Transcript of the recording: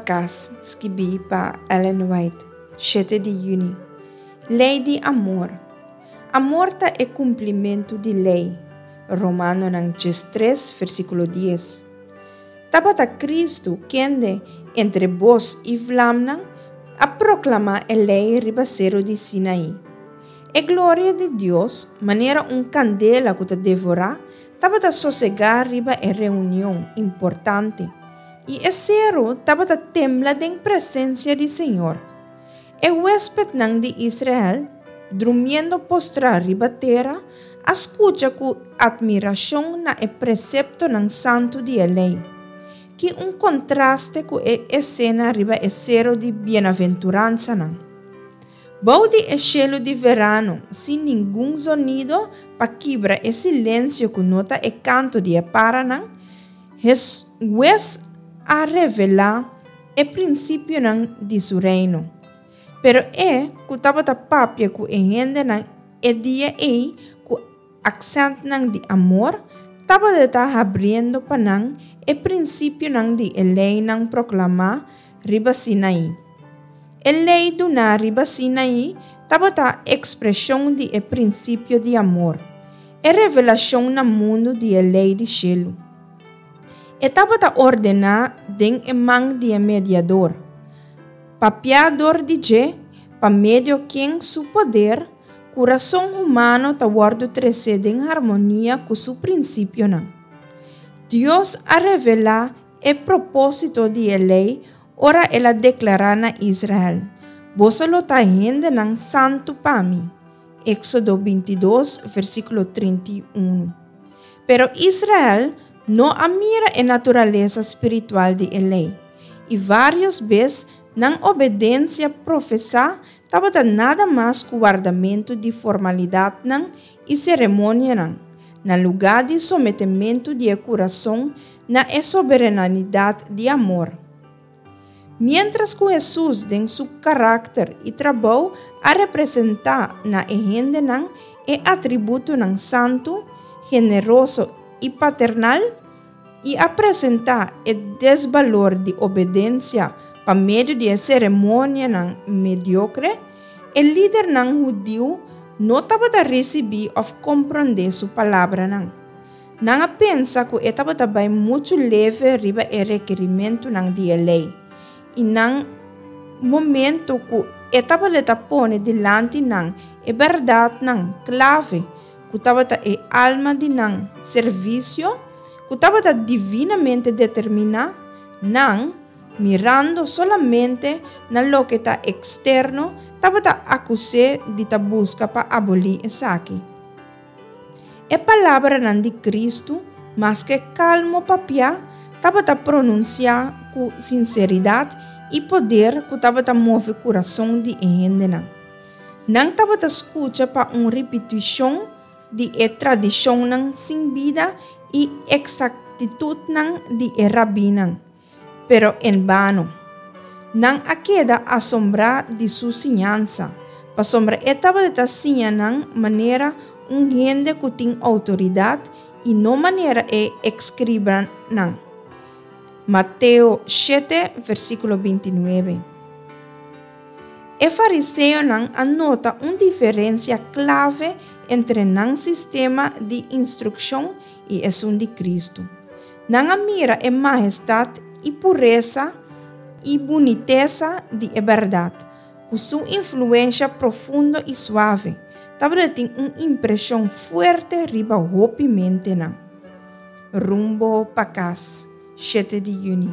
Kas, skibí pa Ellen White, shete di yüni. Lei di amor. Amor ta e kumplimentu di lei. Romanonan 13, versíkulo 10. Tabata Kristu kende, entre bos i vlamnan, a proklamá e lei riba seru di Sinaí. E gloria di Dios, manera un kandela ku ta devorá, tabata sosegá riba e reunion importante, i e seru tabata tembla den presensia di Señor. E huéspetnan di Israel, drumiendo postrá riba tera, a skucha ku atmirashon na e preseptonan santu di e Lei. Ki un kontraste ku e esena riba e Seru di Bienaventuransanan! Bou di e shelu di verano, sin ningun zonido pa kibra e silensio ku no ta e kanto di e paranan, Hesus a revelá e prinsipionan di su Reino. Pero e ku tabata papia ku e hendenan e dia ei ku aksèntnan di amor, tabata ta habriendo pa nan e prinsipionan di e leinan proklamá riba Sinaí. E lei duná riba Sinaí tabata ekspreshon di e prinsipio di amor, e revelashon na mundu di e lei di shelu. E tabata ordená den e man di e mediador, papiá dor di dje, pa medio ken su poder, kurason humano ta wòrdu tresé den harmonia ku su prinsipionan. Dios a revelá e propósito di e lei ora el a deklará na Israel, Boso lo ta hendenan santu pa mi. Éksodo 22, versíkulo 31. Pero Israel no a mira e naturalesa spiritual di e lei, i vários bes nan obedensia profesá tabata nada mas ku wardamentu di formalidatnan i seremonianan, na lugá di sometementu di e kurason na e soberenanidat di amor. Miéntras ku Hesus den su karakter i trabou a representá na e hendenan e atributonan santu, generoso i paternal, i a presentá e desbalor di obedensia pa medio di e seremonianan mediokre, e lidernan hudiu no tabata risibí òf komprondé su palabranan. Nan a pensa ku e tabata bai muchu leve riba e rekerimentunan di e lei, i nan momento ku e tabata pone dilanti nan e bèrdatnan klave ku tabata e alma di nan servisio, ku tabata divinamente determiná, nan, mirando solamente na loke ta eksterno, tabata akus'é di ta buska pa abolí esaki. E palabranan di Kristu, maske kalmo papiá, tabata pronunsiá ku sinseridat i poder ku tabata move kurason di e hendenan. Nan tabata skucha pa un ripitishon di e tradishonnan sin bida i eksaktitutnan di e rabinan. Pero en bano. Nan a keda asombrá di su siñansa, pasobra e tabata siña nan manera un hende ku tin outoridat i no manera e eskribanan. Mateo shete, versíkulo 29. E fariseonan a nota un diferensia klave entre nan sistema di instrukshon i esun di Kristu. Nan a mira e mahestat i puresa i bunitesa di e bèrdat, ku su influensha profundo i suave, tabata tin un impreshon fuerte riba hopi mentenan. Rumbo pa kas, shete di yüni.